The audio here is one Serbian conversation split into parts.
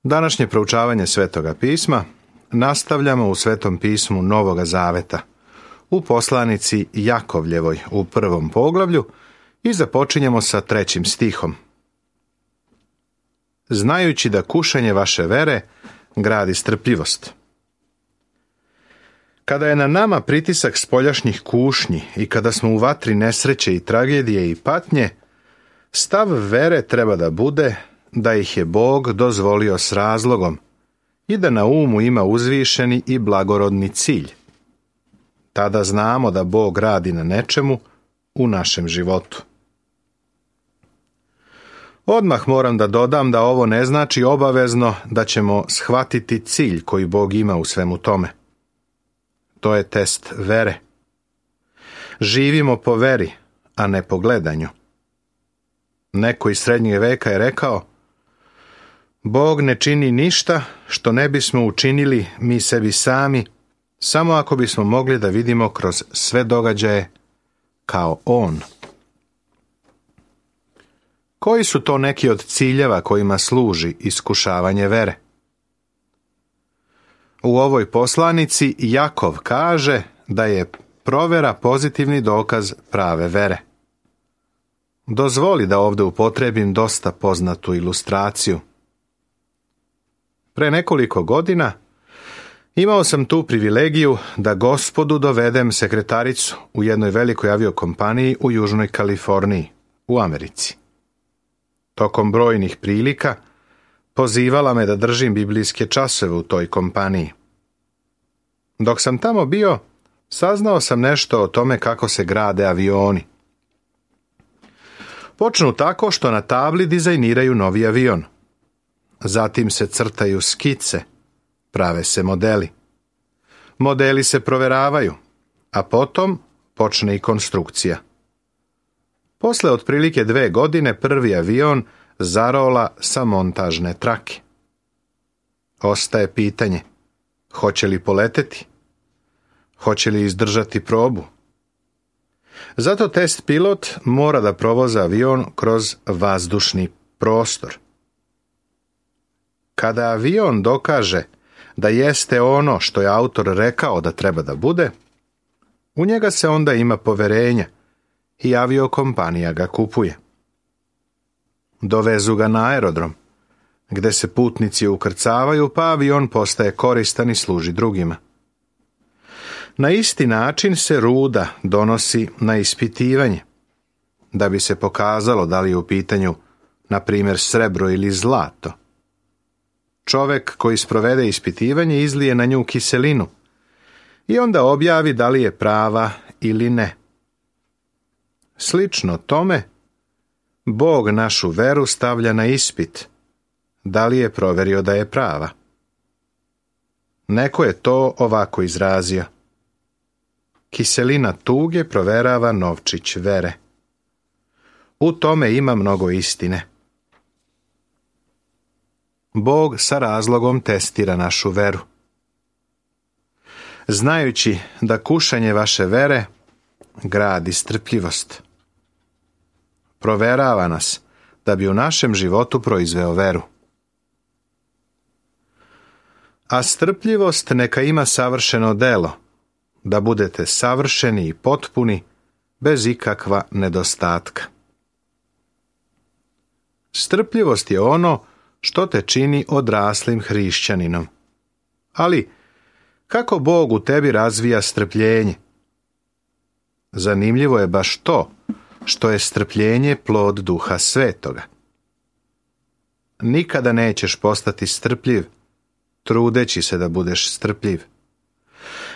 Današnje proučavanje Svetoga pisma nastavljamo u Svetom pismu Novoga Zaveta, u poslanici Jakovljevoj u 1. poglavlju i započinjemo sa 3. stihom. Znajući da kušanje vaše vere gradi strpljivost. Kada je na nama pritisak spoljašnjih kušnji i kada smo u vatri nesreće i tragedije i patnje, stav vere treba da bude da ih je Bog dozvolio s razlogom i da na umu ima uzvišeni i blagorodni cilj. Tada znamo da Bog radi na nečemu u našem životu. Odmah moram da dodam da ovo ne znači obavezno da ćemo shvatiti cilj koji Bog ima u svemu tome. To je test vere. Živimo po veri, a ne po gledanju. Neko iz srednjeg veka je rekao: Bog ne čini ništa što ne bismo učinili mi sebi sami, samo ako bismo mogli da vidimo kroz sve događaje kao On. Koji su to neki od ciljeva kojima služi iskušavanje vere? U ovoj poslanici Jakov kaže da je provera pozitivni dokaz prave vere. Dozvoli da ovdje upotrebim dosta poznatu ilustraciju. Pre nekoliko godina imao sam tu privilegiju da Gospodu dovedem sekretaricu u jednoj velikoj aviokompaniji u Južnoj Kaliforniji, u Americi. Tokom brojnih prilika pozivala me da držim biblijske časove u toj kompaniji. Dok sam tamo bio, saznao sam nešto o tome kako se grade avioni. Počnu tako što na tabli dizajniraju novi avion. Zatim se crtaju skice, prave se modeli. Modeli se proveravaju, a potom počne i konstrukcija. Posle otprilike 2 godine prvi avion zarola sa montažne trake. Ostaje pitanje: hoće li poleteti? Hoće li izdržati probu? Zato test pilot mora da provoza avion kroz vazdušni prostor. Kada avion dokaže da jeste ono što je autor rekao da treba da bude, u njega se onda ima poverenja i aviokompanija ga kupuje. Dovezu ga na aerodrom, gde se putnici ukrcavaju, pa avion postaje koristan i služi drugima. Na isti način se ruda donosi na ispitivanje, da bi se pokazalo da li je u pitanju, na primjer, srebro ili zlato. Čovek koji sprovede ispitivanje izlije na nju kiselinu i onda objavi da li je prava ili ne. Slično tome, Bog našu veru stavlja na ispit, da li je proverio da je prava. Neko je to ovako izrazio: kiselina tuge proverava novčić vere. U tome ima mnogo istine. Bog sa razlogom testira našu veru. Znajući da kušanje vaše vere gradi strpljivost. Proverava nas da bi u našem životu proizveo veru. A strpljivost neka ima savršeno delo, da budete savršeni i potpuni, bez ikakva nedostatka. Strpljivost je ono što te čini odraslim hrišćaninom. Ali, kako Bog u tebi razvija strpljenje? Zanimljivo je baš to što je strpljenje plod Duha Svetoga. Nikada nećeš postati strpljiv, trudeći se da budeš strpljiv.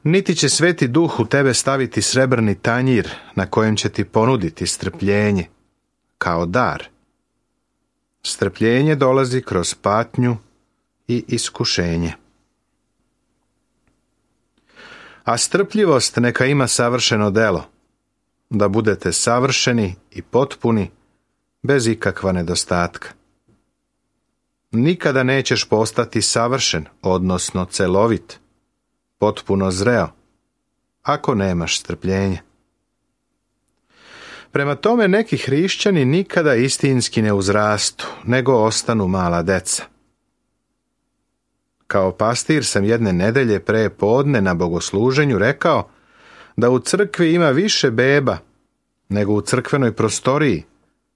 Niti će Sveti Duh u tebe staviti srebrni tanjir na kojem će ti ponuditi strpljenje, kao dar. Strpljenje dolazi kroz patnju i iskušenje. A strpljivost neka ima savršeno delo, da budete savršeni i potpuni, bez ikakva nedostatka. Nikada nećeš postati savršen, odnosno celovit, potpuno zreo, ako nemaš strpljenja. Prema tome, neki hrišćani nikada istinski ne uzrastu, nego ostanu mala deca. Kao pastir sam jedne nedelje pre podne na bogosluženju rekao da u crkvi ima više beba nego u crkvenoj prostoriji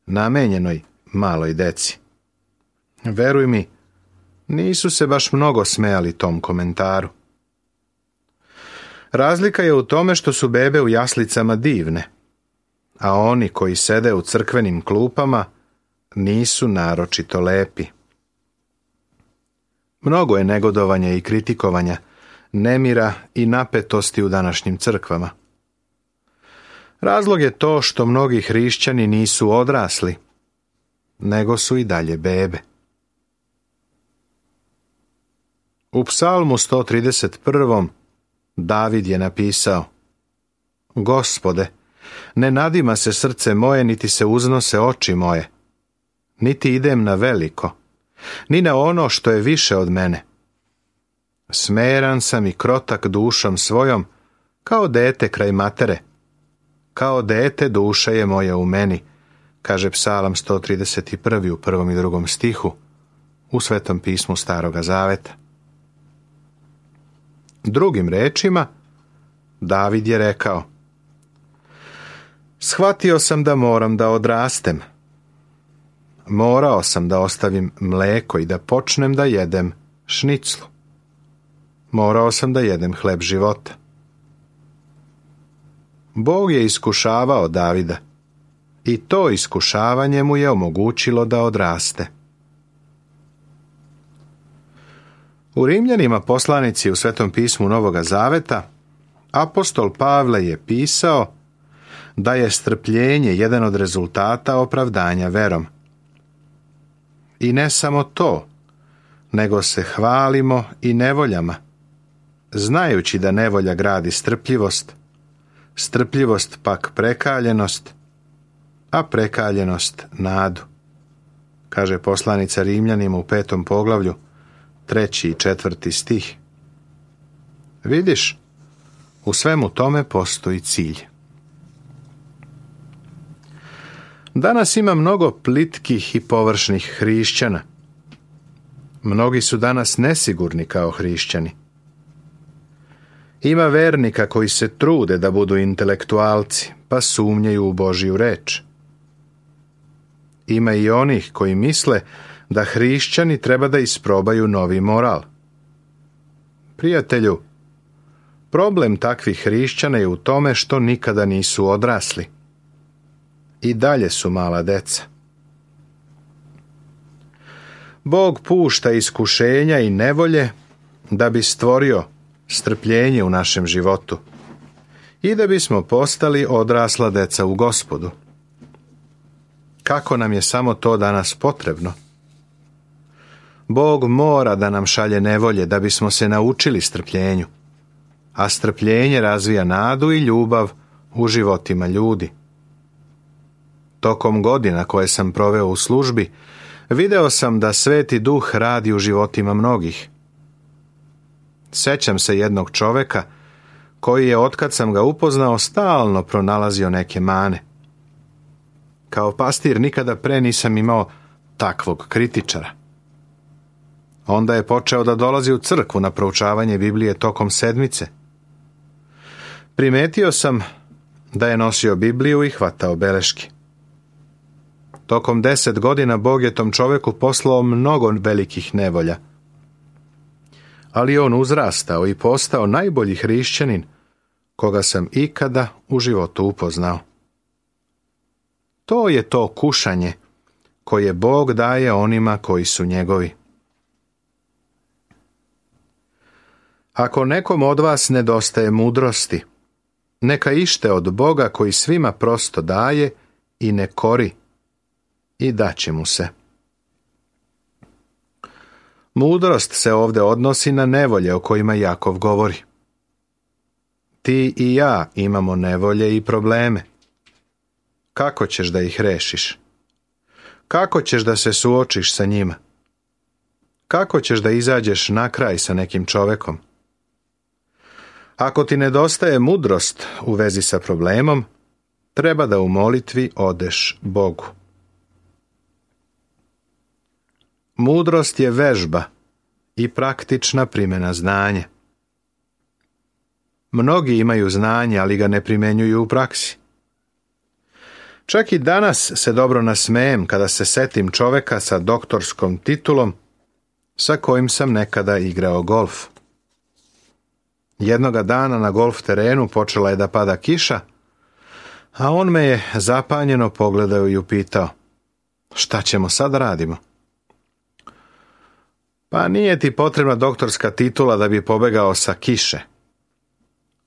namenjenoj maloj deci. Veruj mi, nisu se baš mnogo smejali tom komentaru. Razlika je u tome što su bebe u jaslicama divne, a oni koji sede u crkvenim klupama nisu naročito lepi. Mnogo je negodovanja i kritikovanja, nemira i napetosti u današnjim crkvama. Razlog je to što mnogi hrišćani nisu odrasli, nego su i dalje bebe. U Psalmu 131. David je napisao: Gospode, ne nadima se srce moje, niti se uznose oči moje, niti idem na veliko, ni na ono što je više od mene. Smeran sam i krotak dušom svojom, kao dete kraj matere. Kao dete duša je moja u meni, kaže Psalam 131. u 1. i 2. stihu u Svetom pismu Staroga Zaveta. Drugim rečima, David je rekao: Shvatio sam da moram da odrastem. Morao sam da ostavim mleko i da počnem da jedem šniclu. Morao sam da jedem hleb života. Bog je iskušavao Davida i to iskušavanje mu je omogućilo da odraste. U Rimljanima, poslanici u Svetom pismu Novoga Zaveta, apostol Pavle je pisao da je strpljenje jedan od rezultata opravdanja verom. I ne samo to, nego se hvalimo i nevoljama, znajući da nevolja gradi strpljivost, strpljivost pak prekaljenost, a prekaljenost nadu, kaže poslanica Rimljanima u 5. poglavlju, 3. i 4. stih. Vidiš, u svemu tome postoji cilj. Danas ima mnogo plitkih i površnih hrišćana. Mnogi su danas nesigurni kao hrišćani. Ima vernika koji se trude da budu intelektualci, pa sumnjaju u Božju reč. Ima i onih koji misle da hrišćani treba da isprobaju novi moral. Prijatelju, problem takvih hrišćana je u tome što nikada nisu odrasli. I dalje su mala deca. Bog pušta iskušenja i nevolje da bi stvorio strpljenje u našem životu i da bismo postali odrasla deca u Gospodu. Kako nam je samo to danas potrebno? Bog mora da nam šalje nevolje da bismo se naučili strpljenju, a strpljenje razvija nadu i ljubav u životima ljudi. Tokom godina koje sam proveo u službi, video sam da Sveti Duh radi u životima mnogih. Sećam se jednog čoveka koji je, otkad sam ga upoznao, stalno pronalazio neke mane. Kao pastir nikada pre nisam imao takvog kritičara. Onda je počeo da dolazi u crkvu na proučavanje Biblije tokom sedmice. Primetio sam da je nosio Bibliju i hvatao beleške. Tokom 10 godina Bog je tom čoveku poslao mnogo velikih nevolja. Ali on uzrastao i postao najbolji hrišćanin koga sam ikada u životu upoznao. To je to kušanje koje Bog daje onima koji su njegovi. Ako nekom od vas nedostaje mudrosti, neka ište od Boga koji svima prosto daje i ne kori, i daće mu se. Mudrost se ovdje odnosi na nevolje o kojima Jakov govori. Ti i ja imamo nevolje i probleme. Kako ćeš da ih rešiš? Kako ćeš da se suočiš sa njima? Kako ćeš da izađeš na kraj sa nekim čovekom? Ako ti nedostaje mudrost u vezi sa problemom, treba da u molitvi odeš Bogu. Mudrost je vežba i praktična primjena znanja. Mnogi imaju znanje, ali ga ne primjenjuju u praksi. Čak i danas se dobro nasmejem kada se setim čoveka sa doktorskom titulom sa kojim sam nekada igrao golf. Jednoga dana na golf terenu počela je da pada kiša, a on me je zapanjeno pogledao i upitao: šta ćemo sad radimo? Pa nije ti potrebna doktorska titula da bi pobegao sa kiše.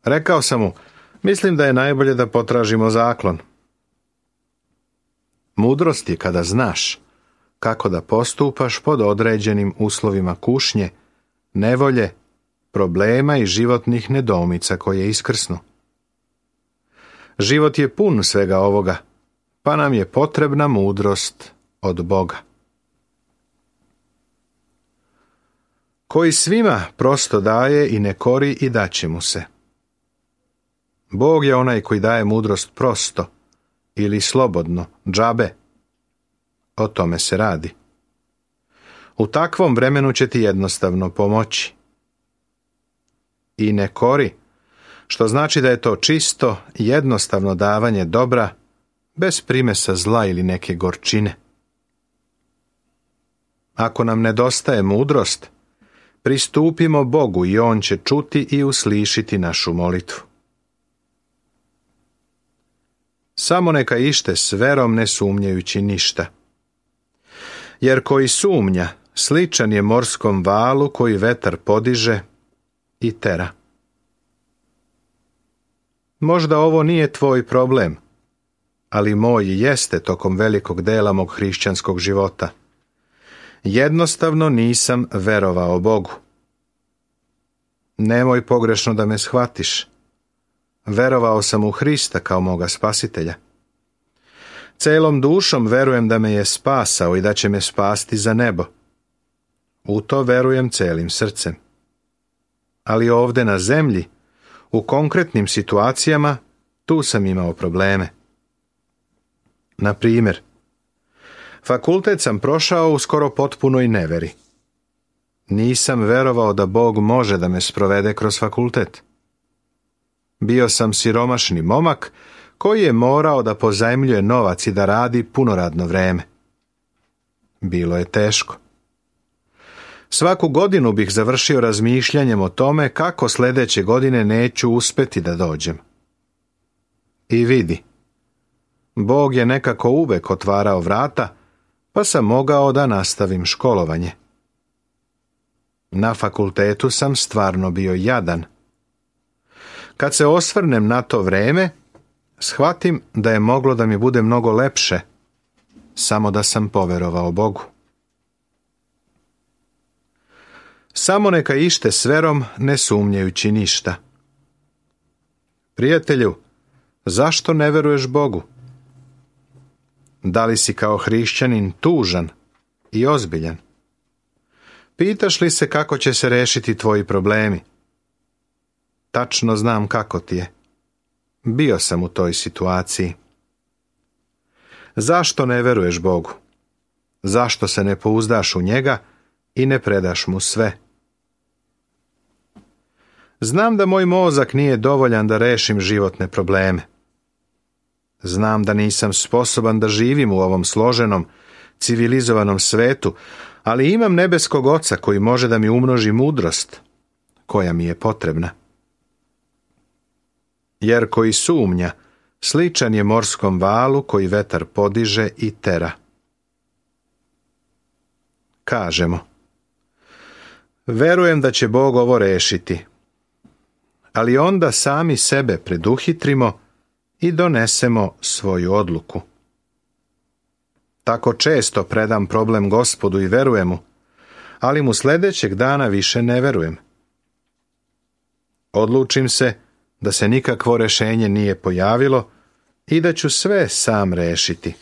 Rekao sam mu: mislim da je najbolje da potražimo zaklon. Mudrost je kada znaš kako da postupaš pod određenim uslovima kušnje, nevolje, problema i životnih nedoumica koje iskrsnu. Život je pun svega ovoga, pa nam je potrebna mudrost od Boga. Koji svima prosto daje i ne kori i daće mu se. Bog je onaj koji daje mudrost prosto ili slobodno, džabe. O tome se radi. U takvom vremenu će ti jednostavno pomoći. I ne kori, što znači da je to čisto, jednostavno davanje dobra, bez primesa zla ili neke gorčine. Ako nam nedostaje mudrost, pristupimo Bogu i On će čuti i uslišiti našu molitvu. Samo neka ište s verom, ne sumnjajući ništa. Jer koji sumnja, sličan je morskom valu koji vetar podiže i tera. Možda ovo nije tvoj problem, ali moj jeste tokom velikog dela mog hrišćanskog života. Jednostavno nisam verovao Bogu. Nemoj pogrešno da me shvatiš. Verovao sam u Hrista kao moga spasitelja. Celom dušom verujem da me je spasao i da će me spasti za nebo. U to verujem celim srcem. Ali ovde na zemlji, u konkretnim situacijama, tu sam imao probleme. Na primjer, fakultet sam prošao u skoro potpunoj neveri. Nisam verovao da Bog može da me sprovede kroz fakultet. Bio sam siromašni momak koji je morao da pozajmljuje novac i da radi punoradno vreme. Bilo je teško. Svaku godinu bih završio razmišljanjem o tome kako sljedeće godine neću uspeti da dođem. I vidi, Bog je nekako uvek otvarao vrata, pa sam mogao da nastavim školovanje. Na fakultetu sam stvarno bio jadan. Kad se osvrnem na to vreme, shvatim da je moglo da mi bude mnogo lepše, samo da sam poverovao Bogu. Samo neka ište s verom, ne sumnjajući ništa. Prijatelju, zašto ne veruješ Bogu? Da li si kao hrišćanin tužan i ozbiljan? Pitaš li se kako će se rešiti tvoji problemi? Tačno znam kako ti je. Bio sam u toj situaciji. Zašto ne veruješ Bogu? Zašto se ne pouzdaš u njega i ne predaš mu sve? Znam da moj mozak nije dovoljan da rešim životne probleme. Znam da nisam sposoban da živim u ovom složenom, civilizovanom svetu, ali imam nebeskog Oca koji može da mi umnoži mudrost, koja mi je potrebna. Jer koji sumnja, sličan je morskom valu koji vetar podiže i tera. Kažemo: verujem da će Bog ovo rešiti, ali onda sami sebe preduhitrimo i donesemo svoju odluku. Tako često predam problem Gospodu i verujem mu, ali mu sljedećeg dana više ne verujem. Odlučim se da se nikakvo rešenje nije pojavilo i da ću sve sam rešiti.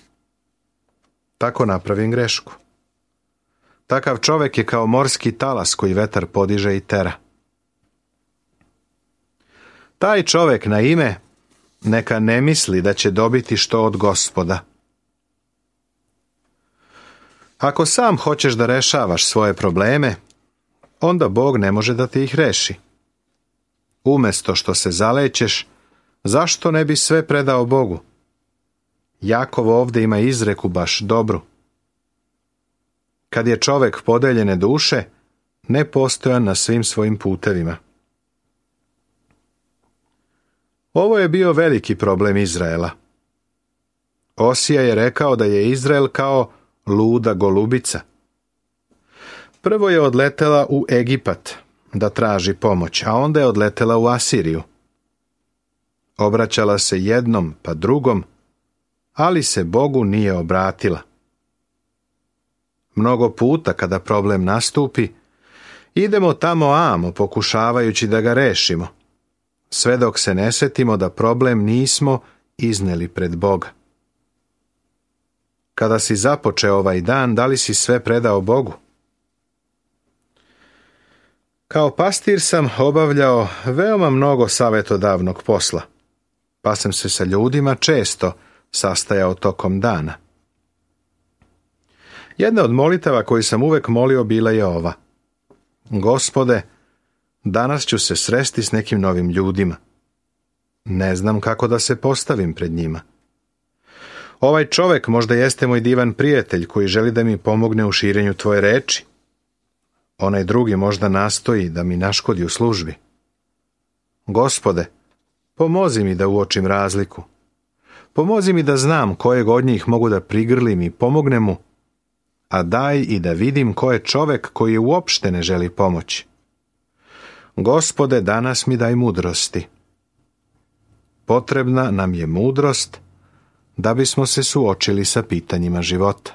Tako napravim grešku. Takav čovjek je kao morski talas koji vetar podiže i tera. Taj čovjek na ime neka ne misli da će dobiti što od Gospoda. Ako sam hoćeš da rešavaš svoje probleme, onda Bog ne može da te ih reši. Umjesto što se zalećeš, zašto ne bi sve predao Bogu? Jakov ovdje ima izreku baš dobru. Kad je čovjek podeljene duše, nepostojan na svim svojim putevima. Ovo je bio veliki problem Izraela. Osija je rekao da je Izrael kao luda golubica. Prvo je odletela u Egipat da traži pomoć, a onda je odletela u Asiriju. Obraćala se jednom pa drugom, ali se Bogu nije obratila. Mnogo puta kada problem nastupi, idemo tamo amo pokušavajući da ga rešimo, sve dok se ne setimo da problem nismo izneli pred Boga. Kada si započeo ovaj dan, da li si sve predao Bogu? Kao pastir sam obavljao veoma mnogo savjetodavnog posla, pa sam se sa ljudima često sastajao tokom dana. Jedna od molitava koju sam uvek molio bila je ova: Gospode, danas ću se sresti s nekim novim ljudima. Ne znam kako da se postavim pred njima. Ovaj čovjek možda jeste moj divan prijatelj koji želi da mi pomogne u širenju tvoje reči. Onaj drugi možda nastoji da mi naškodi u službi. Gospode, pomozi mi da uočim razliku. Pomozi mi da znam kojeg od njih mogu da prigrlim i pomognem mu, a daj i da vidim ko je čovjek koji uopšte ne želi pomoći. Gospode, danas mi daj mudrosti. Potrebna nam je mudrost da bismo se suočili sa pitanjima života.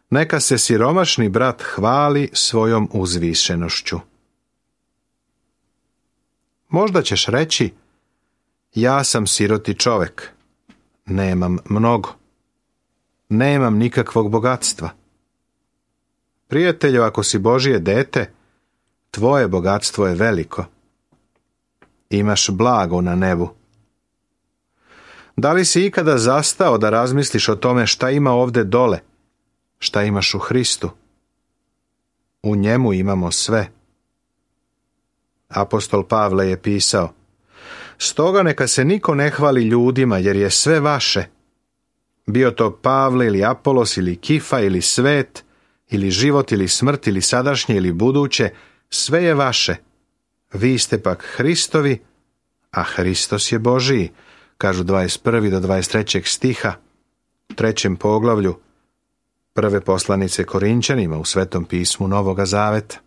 Neka se siromašni brat hvali svojom uzvišenošću. Možda ćeš reći: ja sam siroti čovjek, nemam mnogo, nemam nikakvog bogatstva. Prijatelju, ako si Božje dete, tvoje bogatstvo je veliko. Imaš blago na nebu. Da li si ikada zastao da razmisliš o tome šta ima ovde dole, šta imaš u Hristu? U njemu imamo sve. Apostol Pavle je pisao: stoga neka se niko ne hvali ljudima, jer je sve vaše. Bio to Pavle ili Apolos ili Kifa ili svet, ili život ili smrt ili sadašnje ili buduće, sve je vaše. Vi ste pak Hristovi, a Hristos je Božiji, kažu 21. do 23. stiha, u 3. poglavlju prve poslanice Korinćanima u Svetom pismu Novoga Zaveta.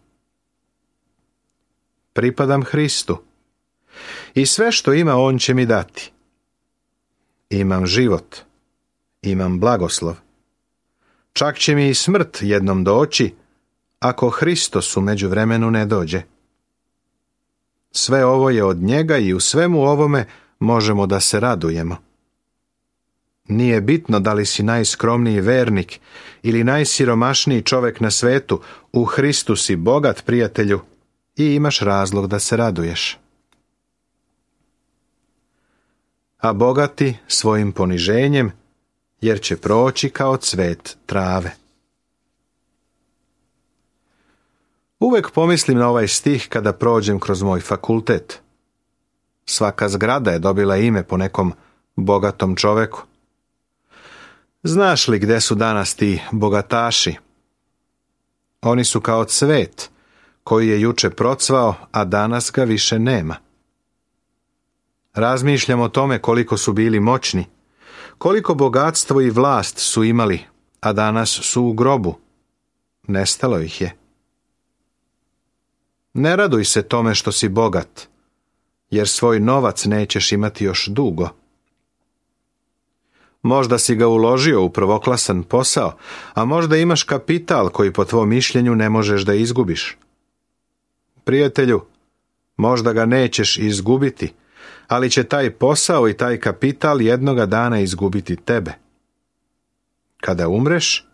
Pripadam Hristu i sve što ima on će mi dati. Imam život, imam blagoslov. Čak će mi i smrt jednom doći, ako Hristos u međuvremenu ne dođe. Sve ovo je od njega i u svemu ovome možemo da se radujemo. Nije bitno da li si najskromniji vernik ili najsiromašniji čovjek na svetu, u Hristu si bogat, prijatelju, i imaš razlog da se raduješ. A bogati svojim poniženjem, jer će proći kao cvet trave. Uvek pomislim na ovaj stih kada prođem kroz moj fakultet. Svaka zgrada je dobila ime po nekom bogatom čoveku. Znaš li gde su danas ti bogataši? Oni su kao cvet koji je juče procvao, a danas ga više nema. Razmišljam o tome koliko su bili moćni, koliko bogatstvo i vlast su imali, a danas su u grobu. Nestalo ih je. Ne raduj se tome što si bogat, jer svoj novac nećeš imati još dugo. Možda si ga uložio u prvoklasan posao, a možda imaš kapital koji po tvom mišljenju ne možeš da izgubiš. Prijatelju, možda ga nećeš izgubiti, ali će taj posao i taj kapital jednoga dana izgubiti tebe. Kada umreš,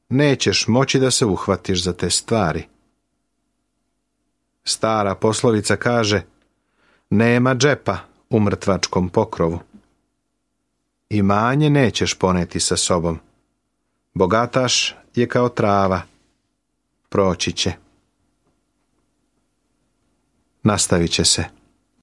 nećeš moći da se uhvatiš za te stvari. Stara poslovica kaže: nema džepa u mrtvačkom pokrovu. Imanje nećeš poneti sa sobom. Bogataš je kao trava, proći će. Nastavit će se.